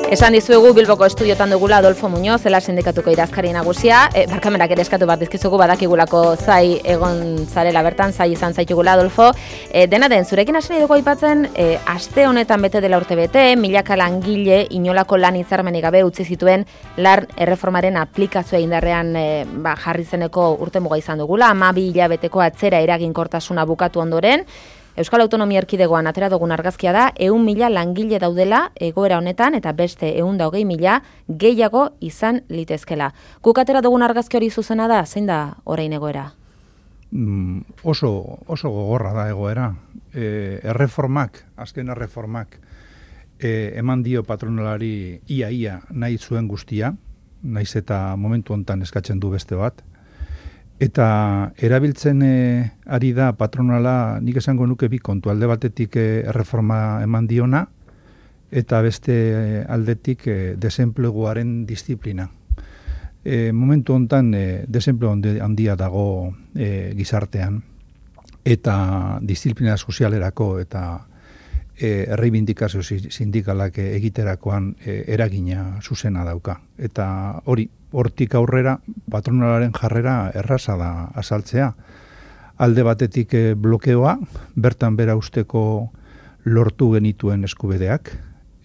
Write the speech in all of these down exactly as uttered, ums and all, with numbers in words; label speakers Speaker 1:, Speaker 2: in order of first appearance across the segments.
Speaker 1: Esan dizuegu Bilboko estudiotan dugula Adolfo Muñoz, zela sindikatuko idazkari nagusia, e, barkamenak ere eskatu bat dizkizugu badakigulako zai egon zarela bertan, zai izan zaitugula Adolfo. E, dena den, zurekin hasi nahi dugu aipatzen, e, aste honetan bete dela urte bete, milaka langile inolako lan hitzarmenik gabe utzi zituen lan erreformaren aplikazioa indarrean e, ba, jarri zeneko urte muga izan dugula, hamabi hilabeteko atzera eraginkortasuna bukatu ondoren. Euskal Autonomia Erkidegoan atera dugun argazkia da, ehun mila langile daudela egoera honetan eta beste ehun da hogei mila gehiago izan litezkela. Guk atera dugun argazki hori zuzena da, zein da orain egoera?
Speaker 2: Mm, oso, oso gogorra da egoera. E, erreformak, azken erreformak, e, eman dio patronalari ia-ia nahi zuen guztia, naiz eta momentu hontan eskatzen du beste bat. Eta erabiltzen e, ari da patronala, nik esango nuke bi kontu, alde batetik e, erreforma eman diona, eta beste e, aldetik e, desenpleguaren disiplina. E, momentu hontan e, desenplegu handia dago e, gizartean, eta disiplina sozialerako eta e, erreibindikazio sindikalak egiterakoan e, eragina zuzena dauka. Eta hori, hortik aurrera patronalaren jarrera erraza da azaltzea. Alde batetik e, blokeoa, bertan bera usteko lortu genituen eskubideak,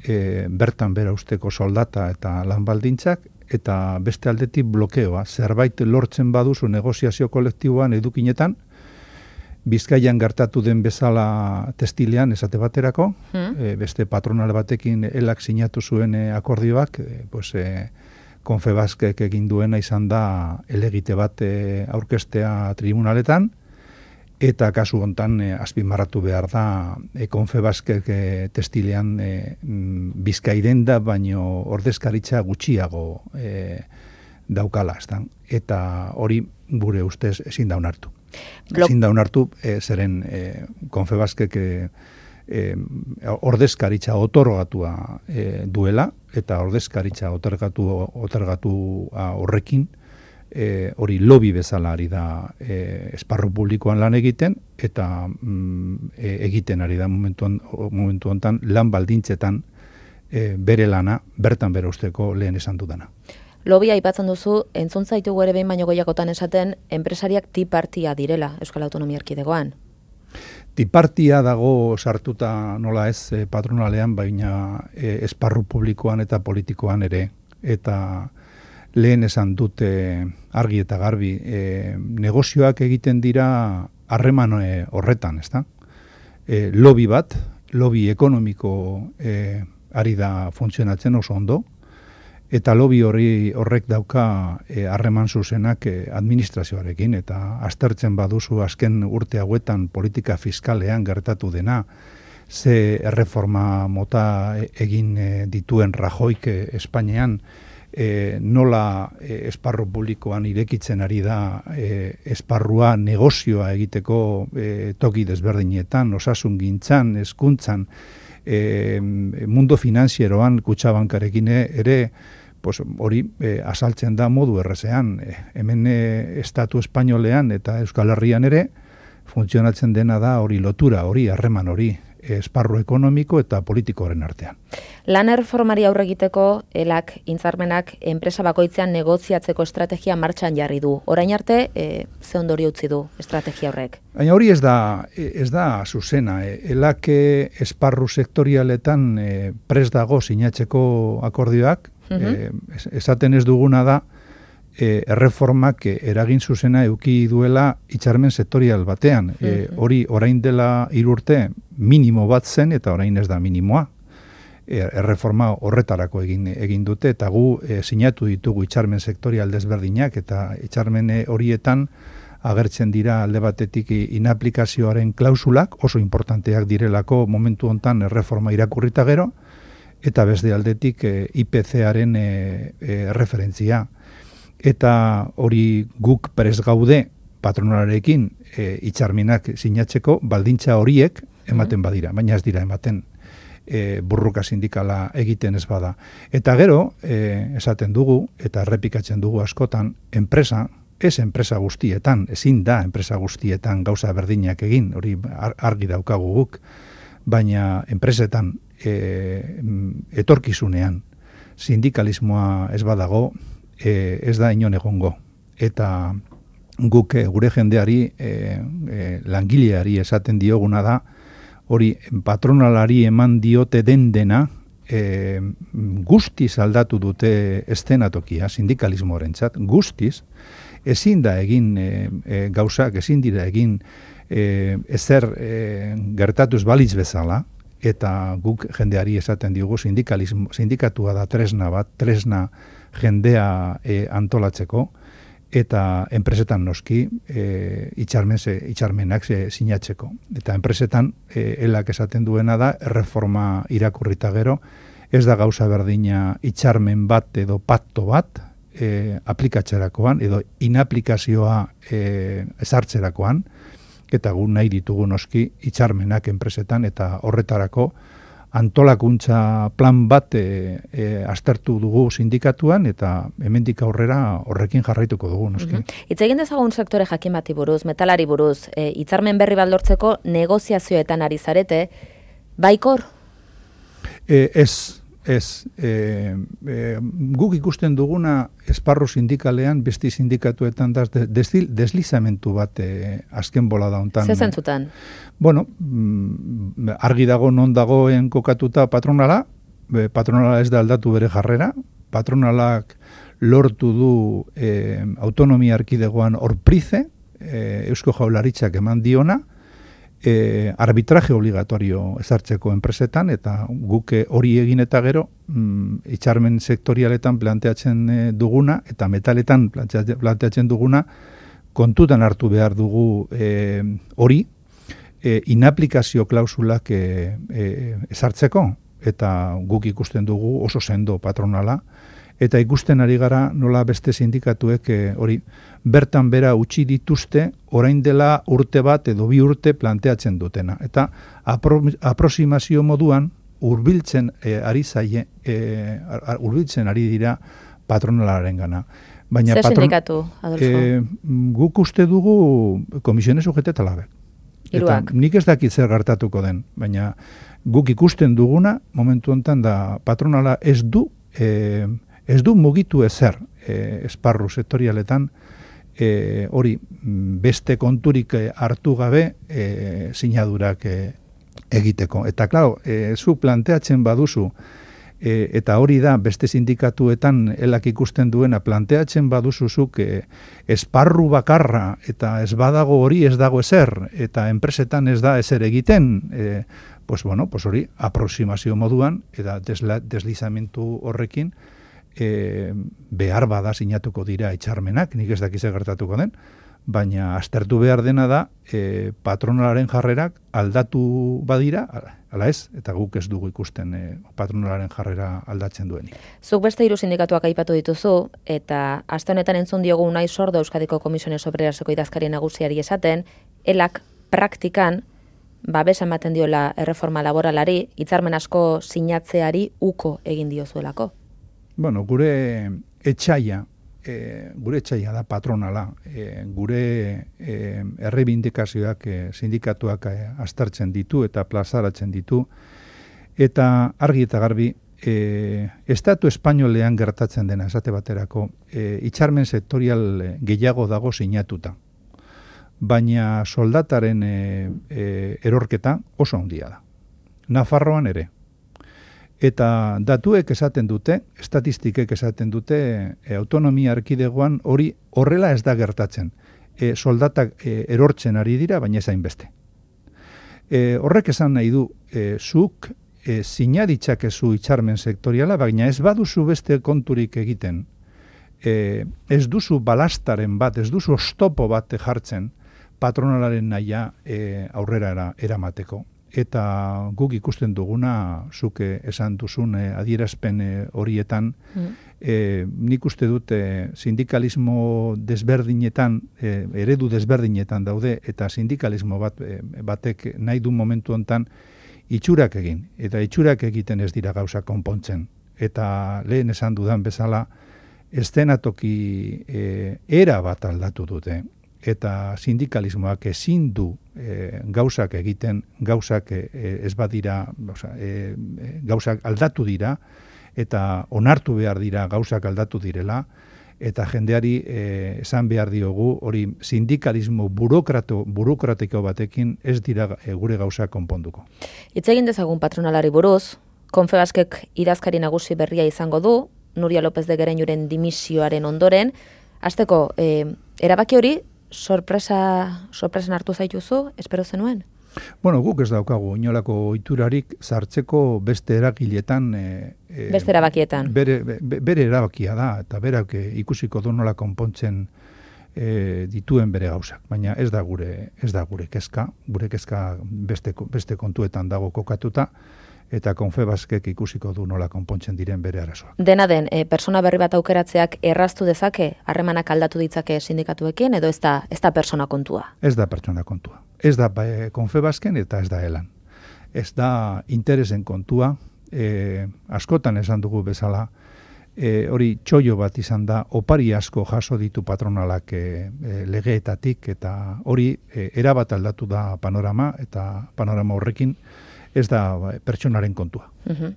Speaker 2: e, bertan bera usteko soldata eta lan baldintzak, eta beste aldetik blokeoa, zerbait lortzen baduzu negoziazio kolektiboan edukinetan, Bizkaian gertatu den bezala testilean esate baterako, hmm. e, beste patronal batekin elak sinatu zuen e, akordioak, e, pues, e, Konfebaskek egin duena izan da elegite bat e, aurkestea tribunaletan, eta kasu hontan e, azpimarratu behar da e, Konfebaskek e, testilean e, Bizkaiden da, baino ordezkaritza gutxiago e, daukala, ezta? Eta hori gure ustez ezin da onartu. Blok. Ezin da onartu, e, zeren e, Konfebaskek e, e, ordezkaritza otorgatua e, duela, eta ordezkaritza otorgatu, otorgatu horrekin, e, hori lobby bezala ari da e, esparru publikoan lan egiten, eta mm, e, egiten ari da momentu, momentu hontan lan baldintzetan e, bere lana, bertan bere usteko lehen esan dudana.
Speaker 1: Lobia aipatzen duzu, entzun zaitugu ere behin baino gehiagotan esaten, enpresariak tipartia direla Euskal Autonomia Erkidegoan.
Speaker 2: Tipartia dago sartuta nola ez e, patronalean, baina e, esparru publikoan eta politikoan ere. Eta lehen esan dute argi eta garbi, e, negozioak egiten dira harreman e, horretan, ezta? E, lobby bat, lobby ekonomiko e, ari da funtzionatzen oso ondo, eta lobby hori horrek dauka harreman e, zuzenak e, administrazioarekin, eta aztertzen baduzu azken urte hauetan politika fiskalean gertatu dena, ze erreforma mota egin e, dituen Rajoik e, Espainian, e, nola e, esparru publikoan irekitzen ari da e, esparrua negozioa egiteko e, toki desberdinetan, osasun gintzan, hezkuntzan, e, mundo finanzieroan Kutxabankarekin ere, pues hori e, asaltzen da modu errezean. E, hemen e, estatu espainolean eta Euskal Herrian ere funtzionatzen dena da hori lotura, hori harreman hori, esparru ekonomiko eta politikoaren artean.
Speaker 1: Lan erreformari aurre egiteko elak intzarmenak enpresa bakoitzean negoziatzeko estrategia martxan jarri du. Orain arte, e, ze ondorio utzi du estrategia horrek?
Speaker 2: Baina hori ez da, ez da zuzena. E, elak esparru sektorialetan e, prest dago sinatzeko akordioak, E, esaten ez duguna da e, erreformak e, eragin zuzena eduki duela hitzarmen sektorial batean. E, hori orain dela hiru urte minimo bat zen eta orain ez da minimoa. E, erreforma horretarako egin egin dute eta gu e, sinatu ditugu hitzarmen sektorial desberdinak eta hitzarmen horietan agertzen dira alde batetik inaplikazioaren klausulak oso importanteak direlako momentu hontan erreforma irakurrita gero, eta beste aldetik e, I P C-aren e, e, referentzia. Eta hori guk prest gaude patronalarekin e, hitzarmenak sinatzeko baldintza horiek ematen badira, baina ez dira ematen e, burruka sindikala egiten ez bada. Eta gero, e, esaten dugu, eta errepikatzen dugu askotan, enpresa, ez enpresa guztietan, ezin da enpresa guztietan gauza berdinak egin, hori argi daukagu guk, baina enpresetan e, etorkizunean sindikalismoa ez badago, e, ez da inon egongo. Eta guk e, gure jendeari, e, e, langileari esaten dioguna da, hori patronalari eman diote den dena, e, guztiz aldatu dute estenatokia, sindikalismoarentzat, guztiz, ezin da egin e, e, gauzak, ezin dira egin e, ezer e, gertatuz balitz bezala, eta guk jendeari esaten diogu sindikalismo, sindikatua da tresna bat, tresna jendea e, antolatzeko, eta enpresetan noski e, itxarmen ze, itxarmenak ze, sinatzeko. Eta enpresetan e, elak esaten duena da, erreforma irakurrita gero, ez da gauza berdina itxarmen bat edo patto bat e, aplikatzerakoan, edo inaplikazioa e, ezartzerakoan, eta gu nahi ditugu noski itxarmenak enpresetan, eta horretarako antolakuntza plan bat e, e, aztertu dugu sindikatuan, eta hemendik aurrera horrekin jarraituko dugu, noski.
Speaker 1: Mm-hmm. Itz egin dezagun sektore jakin bati buruz, metalari buruz, e, hitzarmen berri bat lortzeko negoziazioetan ari zarete, baikor?
Speaker 2: E, ez, ez. E, e, guk ikusten duguna esparru sindikalean, besti sindikatuetan da desdil, deslizamentu bat e, azken bola da hontan.
Speaker 1: Zer zentzutan?
Speaker 2: Bueno, argi dago non dagoen kokatuta patronala, patronala ez da aldatu bere jarrera, patronalak lortu du e, autonomia erkidegoan orprize, e, Eusko Jaurlaritzak eman diona, e, arbitraje obligatorio ezartzeko enpresetan, eta guk hori egin eta gero, mm, itxarmen sektorialetan planteatzen e, duguna, eta metaletan planteatzen duguna, kontutan hartu behar dugu hori, e, E, inaplikazio klausulak e, e, ezartzeko, eta guk ikusten dugu oso sendo patronala, eta ikusten ari gara nola beste sindikatuek e, hori bertan bera utzi dituzte, orain dela urte bat edo bi urte planteatzen dutena. Eta apro, aproximazio moduan hurbiltzen e, ari zaie, e, hurbiltzen ari dira patronalaren gana. Baina
Speaker 1: Zer
Speaker 2: patron,
Speaker 1: sindikatu, Adolfo?
Speaker 2: E, guk uste dugu komisiones sujete talabek. Eta nik ez dakit zer gertatuko den, baina guk ikusten duguna, momentu honetan da patronala ez du, e, ez du mugitu ezer e, esparru sektorialetan, e, hori beste konturik hartu gabe e, sinadurak e, egiteko. Eta klaro, e, zu planteatzen baduzu, e, eta hori da beste sindikatuetan elak ikusten duena, planteatzen baduzuzuk e, esparru bakarra eta ez badago hori ez dago ezer, eta enpresetan ez da ezer egiten, e, pues bueno, pues hori aproximazio moduan, eta desla, deslizamentu horrekin e, behar bada sinatuko dira itxarmenak, nik ez dakize gertatuko den, baina aztertu behar dena da e, patronalaren jarrerak aldatu badira, ala ez, eta guk ez dugu ikusten e, patronalaren jarrera aldatzen duenik.
Speaker 1: Zuk beste hiru sindikatuak aipatu dituzu, eta aste honetan entzun diogu Unai Sordo Euskadiko Komisiones Obreraseko idazkari nagusiari esaten, elak praktikan babesa ematen diola erreforma laboralari, hitzarmen asko sinatzeari uko egin diozuelako.
Speaker 2: Bueno, gure etxaia, E, gure etxaia da patronala, e, gure e, errebindikazioak e, sindikatuak e, aztertzen ditu eta plazaratzen ditu, eta argi eta garbi, e, estatu espainolean gertatzen dena esate baterako, e, itxarmen sektorial gehiago dago sinatuta, baina soldataren e, e, erorketa oso handia da. Nafarroan ere. Eta datuek esaten dute, estatistikek esaten dute, e, autonomia erkidegoan hori horrela ez da gertatzen. E, soldatak e, erortzen ari dira, baina ezain beste. E, horrek esan nahi du, e, zuk e, sinaditzakezu itxarmen sektoriala, baina ez baduzu beste konturik egiten. E, ez duzu balastaren bat, ez duzu ostopo bat jartzen patronalaren nahia e, aurrera eramateko. Eta guk ikusten duguna, zuke esan duzun e, adierazpen e, horietan, mm. e, nik uste dute sindikalismo desberdinetan, e, eredu desberdinetan daude, eta sindikalismo bat, e, batek nahi du momentu hontan itxurak egin. Eta itxurak egiten ez dira gauza konpontzen. Eta lehen esan dudan bezala, estenatoki e, era bat aldatu dute. Eta sindikalismoak ezin du e, gauzak egiten, gauzak e, ez badira, oza, e, gauzak aldatu dira, eta onartu behar dira gauzak aldatu direla, eta jendeari eh, esan behar diogu, hori sindikalismo burokrato, burokratiko batekin ez dira e, gure gauza konponduko.
Speaker 1: Hitz egin dezagun patronalari buruz, Confebaskek idazkari nagusi berria izango du, Nuria López de Gereñuren dimisioaren ondoren, hasteko eh, erabaki hori sorpresa, sorpresan hartu zaituzu, espero zenuen?
Speaker 2: Bueno, guk ez daukagu inolako ohiturarik sartzeko beste eragiletan e, e,
Speaker 1: beste erabakietan.
Speaker 2: Bere, be, bere erabakia da, eta berak e, ikusiko du nola konpontzen e, dituen bere gauzak. Baina ez da gure ez da gure kezka, gure kezka beste, beste kontuetan dago kokatuta, eta Confebaskek ikusiko du nola konpontzen diren bere arazoak.
Speaker 1: Dena den, e, persona berri bat aukeratzeak erraztu dezake, harremanak aldatu ditzake sindikatuekin, edo ez da, ez da persona kontua?
Speaker 2: Ez da pertsona kontua. Ez da e, Confebasken eta ez da elan. Ez da interesen kontua, e, askotan esan dugu bezala, e, hori txoio bat izan da, opari asko jaso ditu patronalak e, e, legeetatik, eta hori e, erabat aldatu da panorama, eta panorama horrekin, ez da pertsonaren kontua.
Speaker 1: Uh-huh.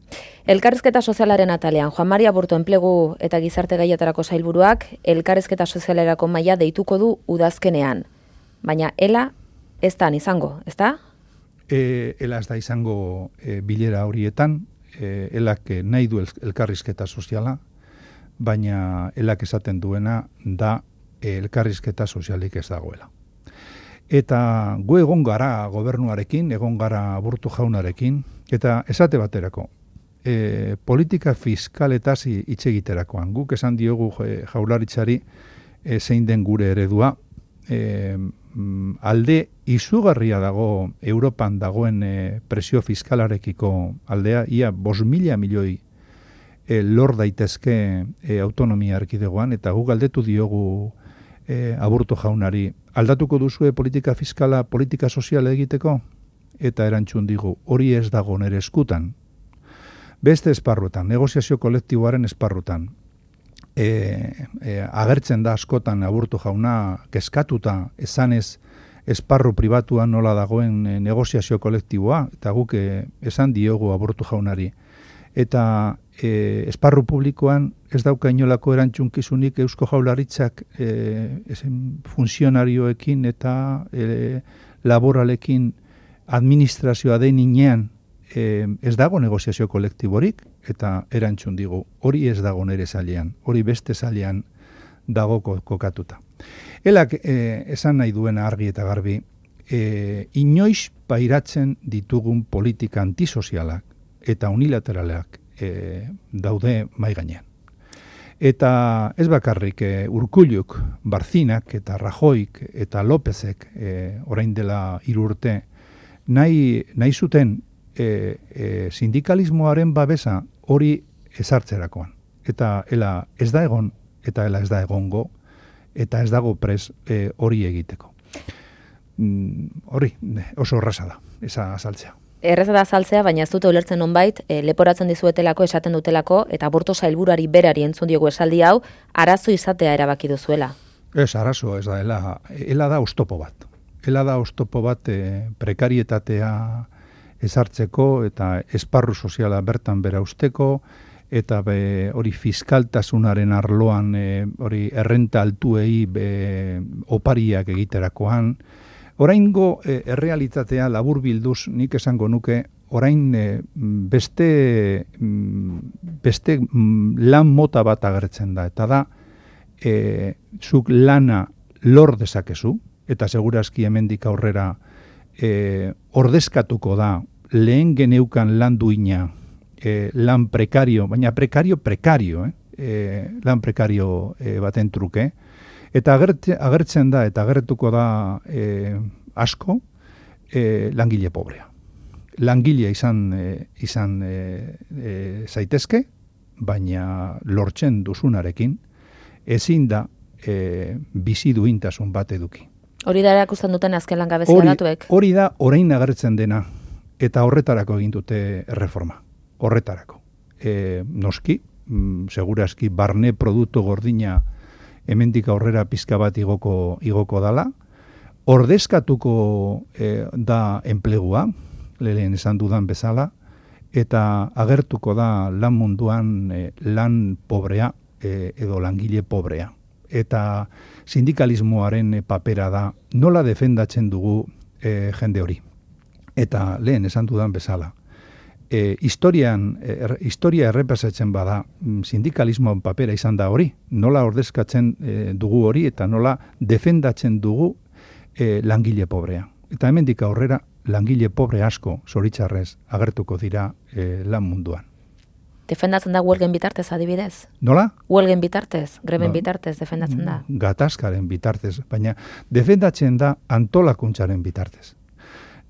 Speaker 1: Elkarrizketa sozialaren atalean, Juan Maria Aburto enplegu eta gizarte gaietarako sailburuak, elkarrizketa sozialerako maila deituko du udazkenean. Baina ela ez da izango, ez da?
Speaker 2: E, ela ez da izango e, bilera horietan, e, elak nahi du elkarrizketa soziala, baina elak esaten duena da e, elkarrizketa sozialik ez dagoela. Eta gu egon gara gobernuarekin, egon gara Aburto jaunarekin, eta esate baterako, e, politika fiskaletaz hitz egiterakoan. Guk esan diogu jaurlaritzari e, zein den gure eredua, e, alde izugarria dago Europan dagoen e, presio fiskalarekiko aldea, ia bost mila milioi e, lor daitezke e, autonomia erkidegoan, eta guk galdetu diogu e, Aburto jaunari, aldatuko duzue politika fiskala, politika soziala egiteko? Eta erantzun digu, hori ez dago nere eskutan. Beste esparrutan, negoziazio kolektiboaren esparrutan, e, e, agertzen da askotan Aburto jauna kezkatuta, esanez esparru pribatuan nola dagoen e, negoziazio kolektiboa, eta guk e, esan diogu Aburto jaunari. Eta e, esparru publikoan ez dauka inolako erantzunkizunik Eusko Jaurlaritzak e, funtzionarioekin eta e, laboralekin administrazioa den inean e, ez dago negoziazio kolektiborik, eta erantzun digu, hori ez dago nere zailean, hori beste zailean dago kokatuta. Elak e, esan nahi duena argi eta garbi, e, inoiz pairatzen ditugun politika antisozialak eta unilateralak e, daude mai gainean. Eta ez bakarrik e, Urkulluk, Barzinak eta Rajoik eta Lópezek e, orain dela hiru urte nahi, nahi zuten e, e, sindikalismoaren babesa hori ezartzerakoan. Eta ela ez da egon, eta ela ez da egongo, eta ez dago pres e, hori egiteko. Mm, hori oso erraza da, esa azaltzea.
Speaker 1: Erreza da azaltzea, baina ez dute ulertzen nonbait, e, leporatzen dizuetelako, esaten dutelako, eta Aburto sailburuari berari entzun diogu esaldi hau, arazo izatea erabaki duzuela.
Speaker 2: Ez, arazo, ez da, ela, ela da oztopo bat. Ela da oztopo bat e, prekarietatea ezartzeko, eta esparru soziala bertan bera usteko, eta be, hori fiskaltasunaren arloan, e, hori errenta altuei be, opariak egiterakoan. Oraingo e, errealitatea labur bilduz nik esango nuke, orain e, beste, beste lan mota bat agertzen da, eta da, e, zuk lana lor dezakezu, eta segurazki hemendik aurrera e, ordezkatuko da lehen geneukan lan duina, e, lan prekario, baina prekario prekario, eh? e, lan prekario e, baten truke, eta agertzen, agertzen da, eta agertuko da e, asko e, langile pobrea. Langilea izan, e, izan e, e, zaitezke, baina lortzen duzunarekin, ezin da e, bizi duintasun bat eduki.
Speaker 1: Hori da erakusten duten azken langabezia datuek?
Speaker 2: Hori da orain agertzen dena, eta horretarako egin dute erreforma. Horretarako. E, noski, mm, segurazki barne produktu gordina hemendik aurrera pizka bat igoko, igoko dala, ordezkatuko e, da enplegua, lehen esan dudan bezala, eta agertuko da lan munduan e, lan pobrea e, edo langile pobrea. Eta sindikalismoaren e, papera da nola defendatzen dugu e, jende hori. Eta lehen esan dudan bezala, e, historian, er, historia errepasatzen bada sindikalismoan papera izan da hori, nola ordezkatzen e, dugu hori eta nola defendatzen dugu e, langile pobrea. Eta hemendik aurrera langile pobre asko, zoritxarrez, agertuko dira e, lan munduan.
Speaker 1: Defendatzen da huelgen bitartez adibidez?
Speaker 2: Nola?
Speaker 1: Huelgen bitartez, greben ba, bitartez defendatzen da?
Speaker 2: Gatazkaren bitartez, baina defendatzen da antolakuntzaren bitartez.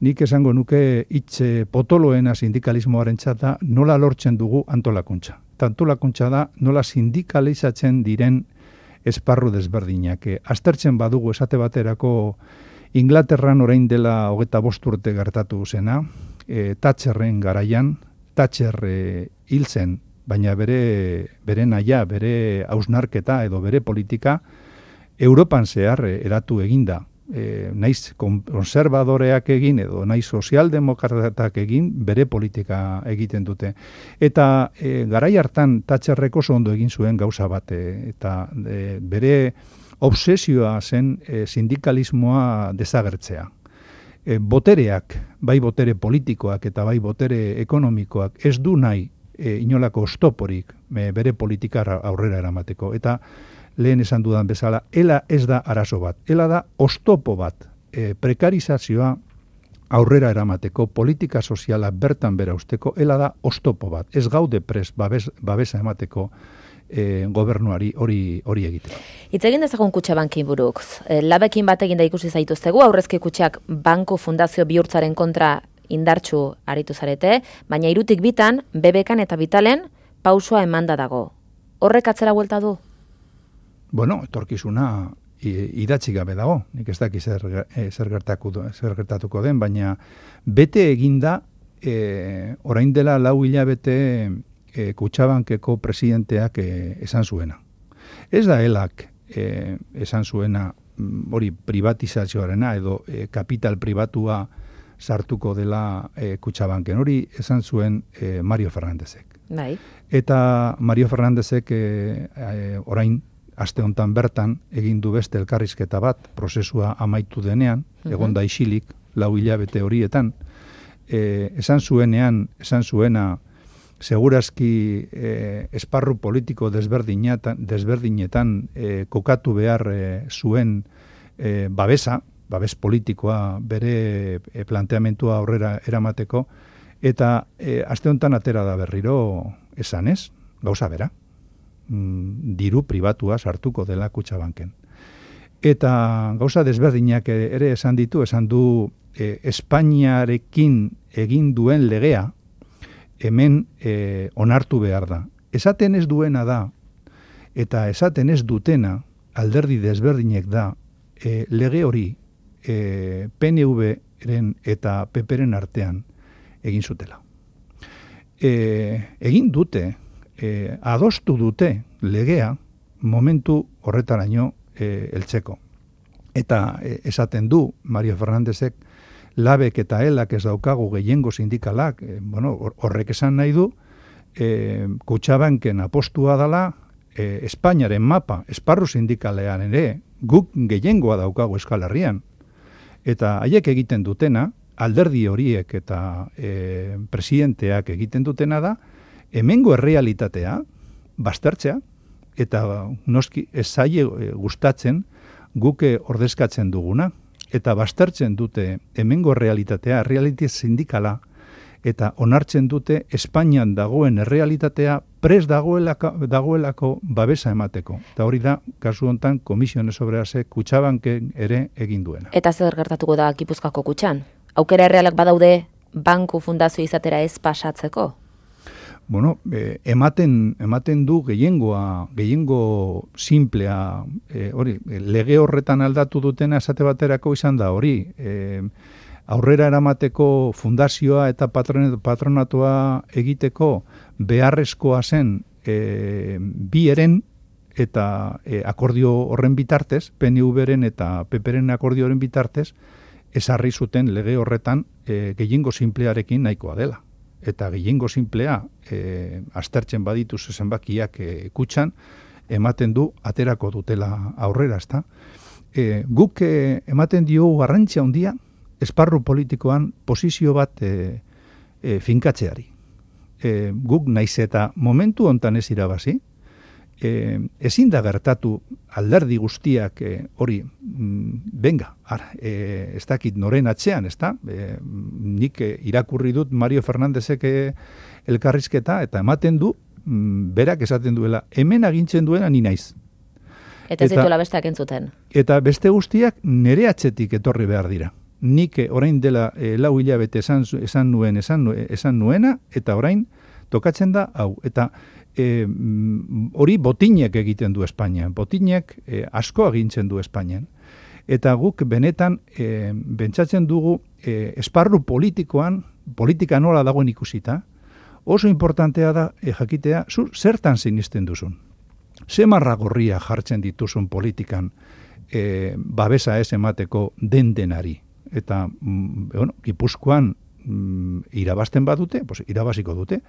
Speaker 2: Nik esango nuke hitz potoloena sindikalismoaren txata nola lortzen dugu antolakuntza. Eta antolakuntza da nola sindikalizatzen diren esparru desberdinak. Aztertzen badugu esate baterako Inglaterran orain dela hogeta bost urte gertatu zena, e, Thatcherren garaian, Thatcher e, hil zen, baina bere, bere naia, bere hausnarketa edo bere politika Europan zehar e, eratu eginda. E, naiz konservadoreak egin edo naiz sozialdemokratak egin bere politika egiten dute. Eta e, garai hartan Thatcherrek oso ondo egin zuen gauza bat, e, eta e, bere obsesioa zen e, sindikalismoa desagertzea. E, botereak, bai botere politikoak eta bai botere ekonomikoak ez du nahi e, inolako oztoporik e, bere politikara aurrera eramateko. Eta lehen esan dudan bezala, ela ez da arazo bat, ela da oztopo bat, e, prekarizazioa aurrera eramateko, politika soziala bertan bera usteko, ela da oztopo bat, ez gaude pres babes, babesa emateko E, gobernuari hori hori egiteko.
Speaker 1: Hitz egin dezagun Kutxabankin buruk. E, labekin bat egin da ikusi zaituztegu, aurrezki kutxak banku fundazio bihurtzaren kontra indartsu aritu zarete, baina hirutik bitan, B B Kan eta Vitalen pausua emanda dago. Horrek atzera buelta du?
Speaker 2: Bueno, etorkizuna idatzi gabe dago. Nik ez daki zer, e, zer, gertatuko, zer gertatuko den, baina bete eginda e, orain dela lau hilabete E, Kutxabankeko presidenteak e, esan zuena. Ez da helak e, esan zuena hori privatizazioarena edo e, kapital pribatua sartuko dela e, Kutxabanken. Hori esan zuen e, Mario Fernandezek.
Speaker 1: Bai.
Speaker 2: Eta Mario Fernandezek e, e, orain aste hontan bertan egin du beste elkarrizketa bat prozesua amaitu denean, uh-huh. egon da isilik lau hilabete horietan. E, esan zuenean, esan zuena segurazki eh, esparru politiko desberdinetan, desberdinetan eh, kokatu behar eh, zuen eh, babesa, babes politikoa bere eh, planteamentua aurrera eramateko, eta eh, aste honetan atera da berriro esan ez, gauza bera, mm, diru pribatua sartuko dela Kutxabanken. Eta gauza desberdinak ere esan ditu, esan du eh, Espainiarekin egin duen legea, hemen e, onartu behar da. Esaten ez duena da, eta esaten ez dutena, alderdi desberdinek da, e, lege hori e, P N V-ren eta P P-ren artean egin zutela. E, egin dute, e, adostu dute legea momentu horretaraino e, heltzeko. Eta e, esaten du Mario Fernandezek, labek eta helak ez daukagu gehiengo sindikalak, e, bueno, horrek esan nahi du, e, Kutxabanken apostua dela, e, Espainiaren mapa, esparru sindikalean ere, guk gehiengoa daukagu Euskal Herrian. Eta haiek egiten dutena, alderdi horiek eta e, presidenteak egiten dutena da, hemengo errealitatea, baztertzea, eta noski ez zaie gustatzen guke ordezkatzen duguna, eta baztertzen dute hemengo realitatea, realitate sindikala, eta onartzen dute Espainian dagoen errealitatea pres dagoelako, dagoelako babesa emateko. Eta hori da, kasu honetan, Komisiones Obrerasek Kutxabanken ere egin duena.
Speaker 1: Eta zer gertatuko da Gipuzkoako kutxan? Aukera errealak badaude banku fundazio izatera ez pasatzeko?
Speaker 2: Bueno, eh, ematen, ematen du gehiengoa, gehiengo simplea, eh, hori, lege horretan aldatu dutena esate baterako izan da hori. Eh, aurrera eramateko fundazioa eta patronatua egiteko beharrezkoa zen eh, bi eren eta eh, akordio horren bitartez, P N V-ren eta P P-ren akordio horren bitartez, ezarri zuten lege horretan eh, gehiengo simplearekin nahikoa dela. eta gehiengo simplea e, aztertzen baditu zenbakiak e, kutxan, ematen du aterako dutela aurrera, ezta? E, guk e, ematen diogu garrantzia handia esparru politikoan posizio bat e, e, finkatzeari. E, guk naiz eta momentu hontan ez irabazi, e, ezin da gertatu alderdi guztiak e, hori, mm, benga, ara, e, ez dakit noren atzean, ez da? E, nik e, irakurri dut Mario Fernandezek e, elkarrizketa eta ematen du, mm, berak esaten duela, hemen agintzen duena ni naiz.
Speaker 1: Eta ez dituela besteak entzuten.
Speaker 2: Eta beste guztiak nere atzetik etorri behar dira. Nik orain dela e, lau hilabete esan, esan nuen, esan, esan nuena, eta orain tokatzen da, hau, eta e, hori botinek egiten du Espainian, botinek e, asko agintzen du Espainian. Eta guk benetan e, bentsatzen dugu e, esparru politikoan, politika nola dagoen ikusita, oso importantea da e, jakitea, zu zertan sinisten duzun. Ze marra gorria jartzen dituzun politikan e, babesa ez emateko den denari. Eta, mm, bueno, Gipuzkoan mm, irabazten badute, pues, irabaziko dute,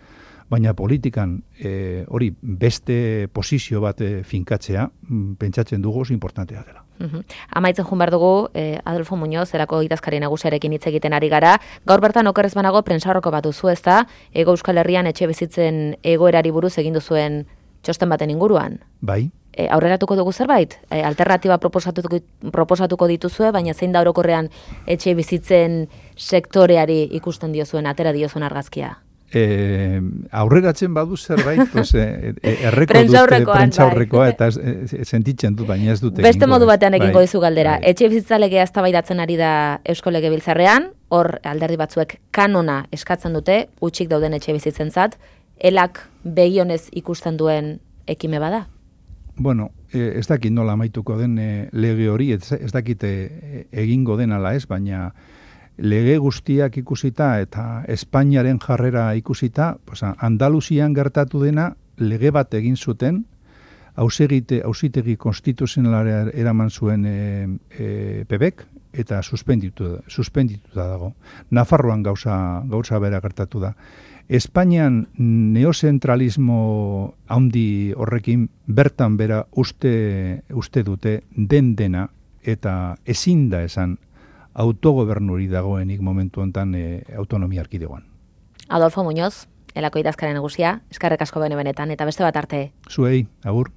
Speaker 2: baina politikan e, hori beste posizio bat e, finkatzea, mm, pentsatzen dugu oso importantea dela.
Speaker 1: Uhum. Amaitzen jun behar dugu, eh, Adolfo Muñoz, erako idazkari nagusiarekin hitz egiten ari gara. Gaur bertan okerrez banago prentsaurreko bat duzu, ezta? Ego Euskal Herrian etxe bizitzen egoerari buruz egin duzuen txosten baten inguruan.
Speaker 2: Bai.
Speaker 1: E, aurreratuko dugu zerbait? E, alternatiba proposatuko, proposatuko dituzue, baina zein da orokorrean etxe bizitzen sektoreari ikusten diozuen, atera diozuen argazkia?
Speaker 2: E, aurreratzen badu zerbait, pues, e, e, erreko dute prentsaurrekoa, eta e, e, sentitzen dut, baina ez dute.
Speaker 1: Beste modu batean egingo dizu galdera.
Speaker 2: Bai.
Speaker 1: Etxe bizitza legea eztabaidatzen ari da Eusko Legebiltzarrean, hor alderdi batzuek kanona eskatzen dute, utxik dauden etxe bizitzentzat, elak begionez ikusten duen ekime bada?
Speaker 2: Bueno, ez dakit nola amaituko den e, lege hori, ez, ez dakit e, egingo den ala ez, baina lege guztiak ikusita eta Espainiaren jarrera ikusita, pues, Andaluzian gertatu dena lege bat egin zuten, hausegite, hausitegi konstituzionalera eraman zuen e, e, P B ek, eta suspenditu, suspendituta dago. Nafarroan gauza, gauza bera gertatu da. Espainian neozentralismo handi horrekin bertan bera uste, uste dute den dena eta ezin da esan autogobernuri dagoenik momentu honetan e, autonomia erkidegoan.
Speaker 1: Adolfo Muñoz, elako idazkari nagusia, eskerrik asko bene benetan, eta beste bat arte.
Speaker 2: Zuei, agur.